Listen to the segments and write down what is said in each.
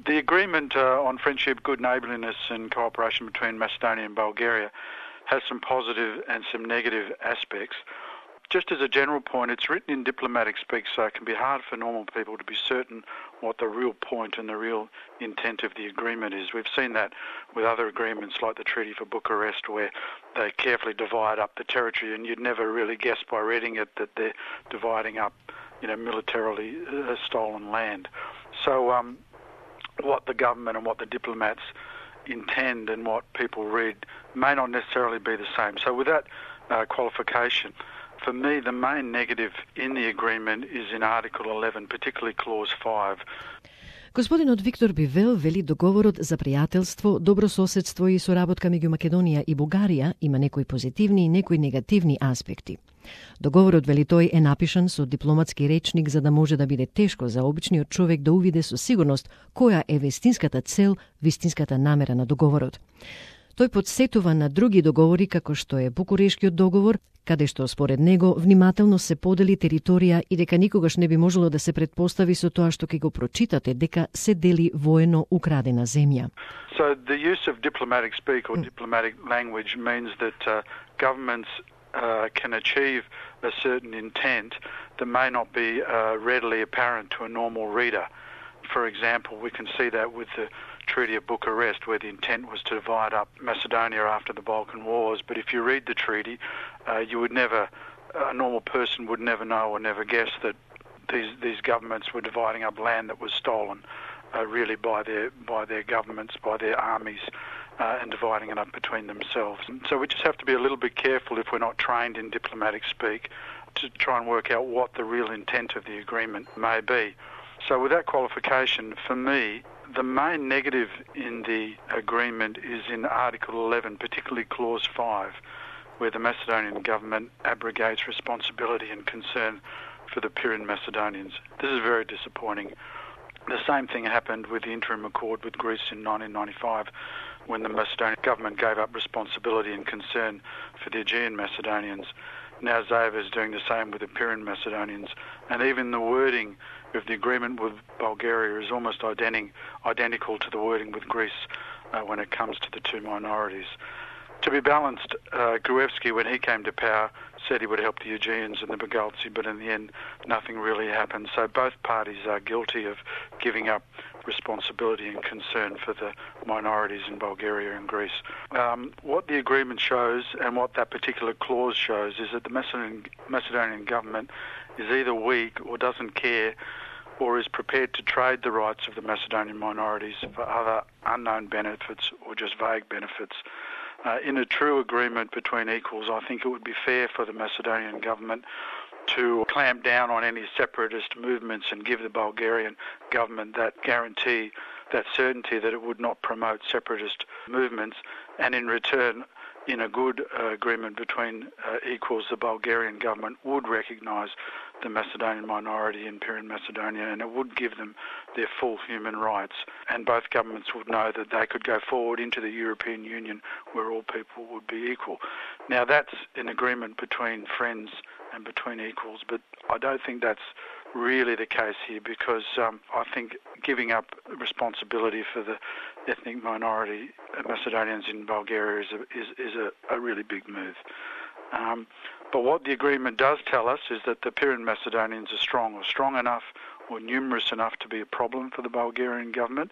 The agreement on friendship, good neighbourliness and cooperation between Macedonia and Bulgaria has some positive and some negative aspects. Just as a general point, it's written in diplomatic speak, so it can be hard for normal people to be certain what the real point and the real intent of the agreement is. We've seen that with other agreements like the Treaty for Bucharest, where they carefully divide up the territory, and you'd never really guess by reading it that they're dividing up, militarily stolen land. So what the government and what the diplomats intend and what people read may not necessarily be the same. So with that qualification, for me, the main negative in the agreement is in Article 11, particularly Clause 5. Господинот Виктор Бивел вели договорот за пријателство, добрососедство и соработка меѓу Македонија и Бугарија има некои позитивни и некои негативни аспекти. Договорот, вели тој, е напишан со дипломатски речник за да може да биде тешко за обичниот човек да увиде со сигурност која е вистинската цел, вистинската намера на договорот. Тој подсетува на други договори како што е Букурешкиот договор, каде што според него внимателно се подели територија и дека никогаш не би можело да се предпостави со тоа што ќе го прочитате дека се дели воено украдена земја. So the use of diplomatic speak or diplomatic language means that governments can achieve a certain intent that may not be readily apparent to a normal reader. For example, we can see that with the Treaty of Bucharest, where the intent was to divide up Macedonia after the Balkan Wars. But if you read the treaty, you would never, a normal person would never know or never guess that these governments were dividing up land that was stolen really by their governments, by their armies, and dividing it up between themselves. So we just have to be a little bit careful if we're not trained in diplomatic speak to try and work out what the real intent of the agreement may be. So with that qualification, for me, the main negative in the agreement is in Article 11, particularly Clause 5, where the Macedonian government abrogates responsibility and concern for the Pyrenean Macedonians. This is very disappointing. The same thing happened with the interim accord with Greece in 1995, when the Macedonian government gave up responsibility and concern for the Aegean Macedonians. Now Zaev is doing the same with the Pyrenean Macedonians. And even the wording of the agreement with Bulgaria is almost identical to the wording with Greece when it comes to the two minorities. To be balanced, Gruevski, when he came to power, said he would help the Aegeans and the Bugaltsi, but in the end, nothing really happened. So both parties are guilty of giving up responsibility and concern for the minorities in Bulgaria and Greece. What the agreement shows and what that particular clause shows is that the Macedonian government is either weak or doesn't care or is prepared to trade the rights of the Macedonian minorities for other unknown benefits or just vague benefits. In a true agreement between equals, I think it would be fair for the Macedonian government to clamp down on any separatist movements and give the Bulgarian government that guarantee, that certainty that it would not promote separatist movements, and in return, in a good agreement between equals, the Bulgarian government would recognise the Macedonian minority in Pyrenean Macedonia, and it would give them their full human rights. And both governments would know that they could go forward into the European Union where all people would be equal. Now that's an agreement between friends and between equals, but I don't think that's really the case here, because I think giving up responsibility for the ethnic minority Macedonians in Bulgaria is a really big move. But what the agreement does tell us is that the Pyrenean Macedonians are strong enough or numerous enough to be a problem for the Bulgarian government.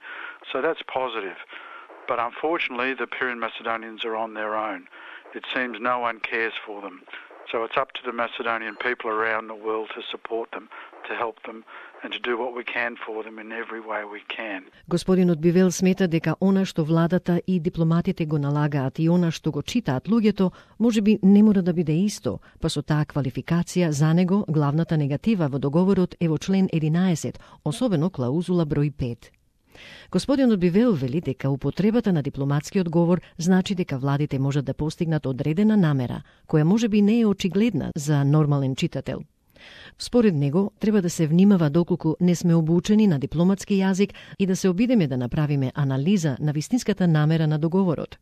So that's positive. But unfortunately, the Pyrenean Macedonians are on their own. It seems no one cares for them. So it's up to the Macedonian people around the world to support them, to help them, and to do what we can for them in every way we can. Господинот Бивел смета дека она што владата и дипломатите го налагаат и она што го читаат луѓето, можеби не мора да биде исто, па со таа квалификација за него главната негатива во договорот е во член 11, особено клаузула број 5. Господинот Бивел вели дека употребата на дипломатскиот говор значи дека владите можат да постигнат одредена намера, која можеби не е очигледна за нормален читател. Според него, треба да се внимава доколку не сме обучени на дипломатски јазик и да се обидеме да направиме анализа на вистинската намера на договорот.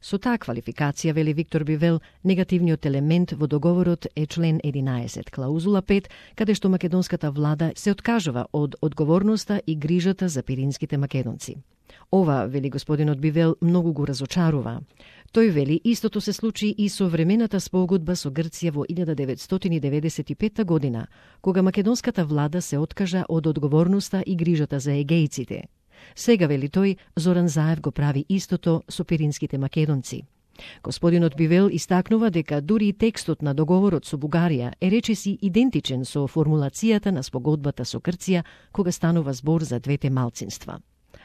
Со таа квалификација, вели Виктор Бивел, негативниот елемент во договорот е член 11, клаузула 5, каде што македонската влада се откажува од одговорноста и грижата за пиринските македонци. Ова, вели господинот Бивел, многу го разочарува. Тој вели истото се случи и со времената спогодба со Грција во 1995 година, кога македонската влада се откажа од одговорноста и грижата за егејците. Сега, вели тој, Зоран Заев го прави истото со пиринските македонци. Господинот Бивел истакнува дека дури и текстот на договорот со Бугарија е речиси идентичен со формулацијата на спогодбата со Грција, кога станува збор за двете малцинства.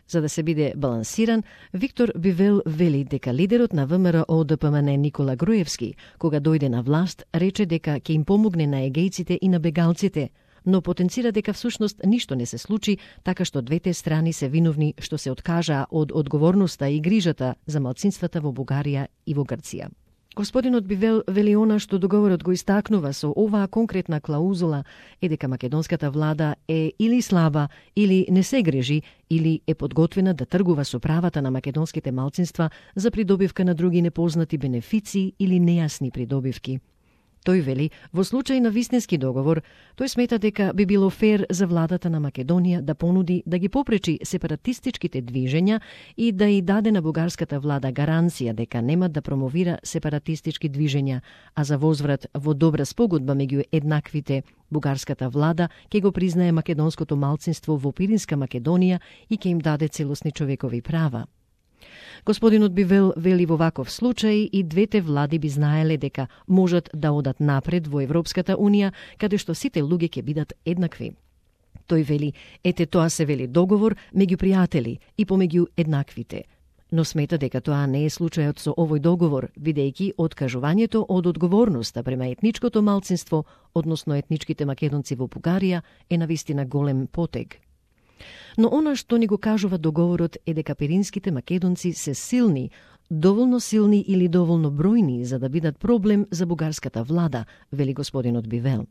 За да се биде балансиран, Виктор Бивел вели дека лидерот на ВМРО ДПМН Никола Груевски, кога дојде на власт, рече дека ќе им помогне на егејците и на бегалците, но потенцира дека всушност ништо не се случи, така што двете страни се виновни што се откажаа од одговорноста и грижата за малцинствата во Бугарија и во Грција. Господинот Бивел вели она што договорот го истакнува со оваа конкретна клаузула е дека македонската влада е или слаба, или не се грижи, или е подготвена да тргува со правата на македонските малцинства за придобивка на други непознати бенефиции или нејасни придобивки. Тој вели, во случај на вистински договор, тој смета дека би било фер за владата на Македонија да понуди да ги попречи сепаратистичките движења и да и даде на бугарската влада гаранција дека нема да промовира сепаратистички движења, а за возврат во добра спогодба меѓу еднаквите бугарската влада ќе го признае македонското малцинство во Пиринска Македонија и ќе им даде целосни човекови права. Господинот Бивел вели во ваков случај и двете влади би знаеле дека можат да одат напред во Европската Унија, каде што сите луѓе ќе бидат еднакви. Тој вели, ете тоа се вели договор меѓу пријатели и помеѓу еднаквите. Но смета дека тоа не е случајот со овој договор, бидејќи откажувањето од одговорноста према етничкото малцинство, односно етничките македонци во Бугарија, е навистина голем потег. Но она што ни го кажува договорот е дека пиринските македонци се силни, доволно силни или доволно бројни за да бидат проблем за бугарската влада, вели господинот Бивел.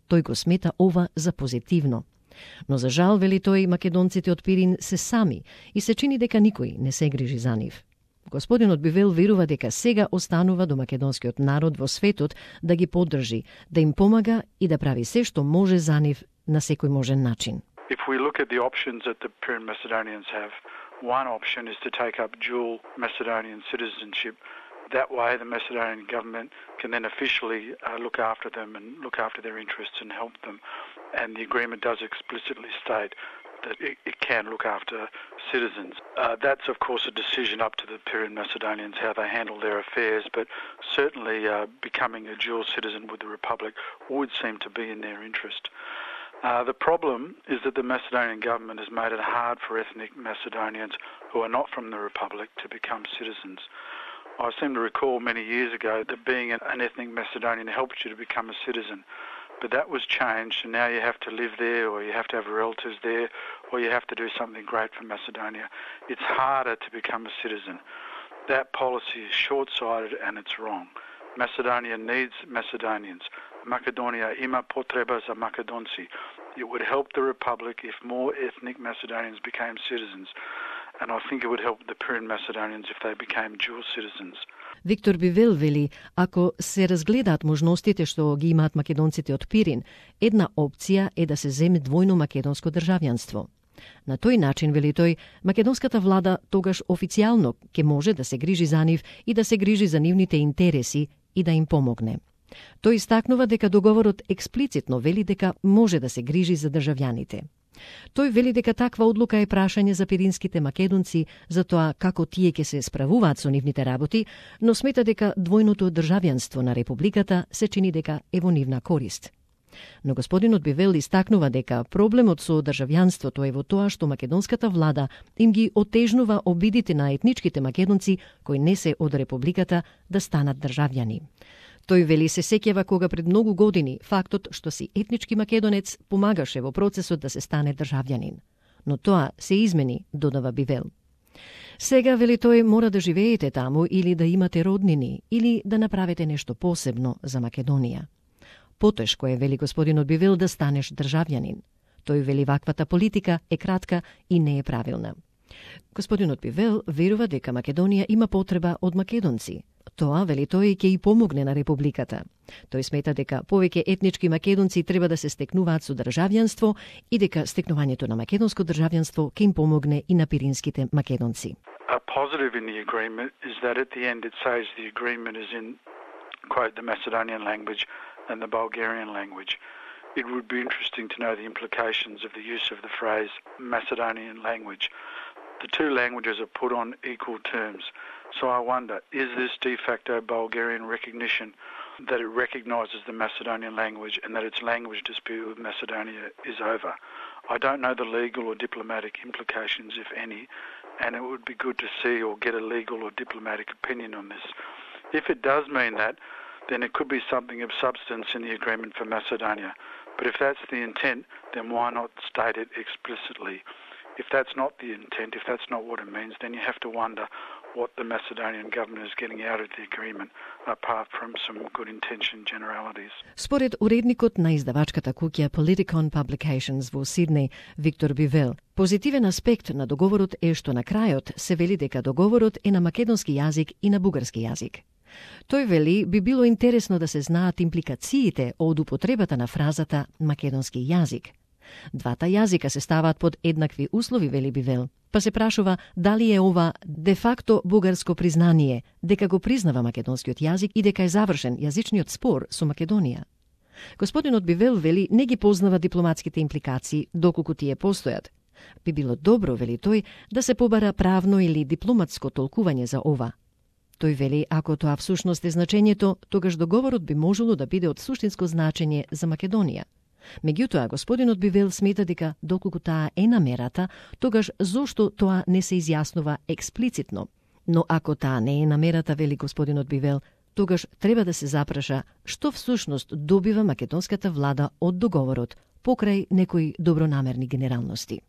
Тој го смета ова за позитивно. Но за жал, вели тој, македонците од Пирин се сами и се чини дека никој не се грижи за нив. Господинот Бивел верува дека сега останува до македонскиот народ во светот да ги поддржи, да им помага и да прави се што може за нив на секој можен начин. If we look at the options that the Pyrenean Macedonians have, one option is to take up dual Macedonian citizenship. That way the Macedonian government can then officially look after them and look after their interests and help them. And the agreement does explicitly state that it can look after citizens. That's, of course, a decision up to the Pyrenean Macedonians how they handle their affairs, but certainly becoming a dual citizen with the Republic would seem to be in their interest. The problem is that the Macedonian government has made it hard for ethnic Macedonians who are not from the Republic to become citizens. I seem to recall many years ago that being an ethnic Macedonian helped you to become a citizen. But that was changed, and now you have to live there, or you have to have relatives there, or you have to do something great for Macedonia. It's harder to become a citizen. That policy is short-sighted and it's wrong. Macedonia needs Macedonians. Macedonia ima potreba za Makedonci. It would help the Republic if more ethnic Macedonians became citizens. And I think it would help the Pyrenean Macedonians if they became dual citizens. Виктор Бивел вели, ако се разгледаат можностите што ги имаат македонците од Пирин, една опција е да се земе двојно македонско државјанство. На тој начин, вели тој, македонската влада тогаш официјално ќе може да се грижи за нив и да се грижи за нивните интереси и да им помогне. Тој истакнува дека договорот експлицитно вели дека може да се грижи за државјаните. Тој вели дека таква одлука е прашање за пиринските македонци за тоа како тие ќе се справуваат со нивните работи, но смета дека двојното државјанство на републиката се чини дека е во нивна корист. Но господинот Бивел истакнува дека проблемот со државјанството е во тоа што македонската влада им ги отежнува обидите на етничките македонци кои не се од републиката да станат државјани. Тој вели се сеќава кога пред многу години фактот што си етнички македонец помагаше во процесот да се стане државјанин. Но тоа се измени, додава Бивел. Сега, вели тој, мора да живеете таму или да имате роднини, или да направите нешто посебно за Македонија. Потешко е, вели господинот Бивел, да станеш државјанин. Тој вели ваквата политика е кратка и не е правилна. Господинот Бивел верува дека Македонија има потреба од македонци. Тоа, вели тој, ќе и помогне на републиката. Тој смета дека повеќе етнички македонци треба да се стекнуваат со државјанство и дека стекнувањето на македонско државјанство ќе им помогне и на пиринските македонци. A positive in the agreement is that at the end it says the agreement is in, quote, the Macedonian language and the Bulgarian language. It would be interesting to know the implications of the use of the phrase Macedonian language. The two languages are put on equal terms. So I wonder, is this de facto Bulgarian recognition that it recognises the Macedonian language and that its language dispute with Macedonia is over? I don't know the legal or diplomatic implications, if any, and it would be good to see or get a legal or diplomatic opinion on this. If it does mean that, then it could be something of substance in the agreement for Macedonia. But if that's the intent, then why not state it explicitly? If that's not the intent, if that's not what it means, then you have to wonder what the Macedonian government is getting out of the agreement, apart from some good intention generalities. Според уредникот на издавачката куќа Politicon Publications во Сиднеј, Виктор Бивел, позитивен аспект на договорот е што на крајот се вели дека договорот е на македонски јазик и на бугарски јазик. Тој вели би било интересно да се знаат импликациите од употребата на фразата македонски јазик. Двата јазика се ставаат под еднакви услови, вели Бивел, па се прашува дали е ова де факто бугарско признание, дека го признава македонскиот јазик и дека е завршен јазичниот спор со Македонија. Господинот Бивел вели не ги познава дипломатските импликации, доколку тие постојат. Би било добро, вели тој, да се побара правно или дипломатско толкување за ова. Тој вели, ако тоа всушност е значењето, тогаш договорот би можело да биде од суштинско значење за Македонија. Меѓутоа, господинот Бивел смета дека доколку таа е намерата, тогаш зошто тоа не се изјаснува експлицитно. Но ако таа не е намерата, вели господинот Бивел, тогаш треба да се запраша што всушност добива македонската влада од договорот покрај некои добронамерни генералности.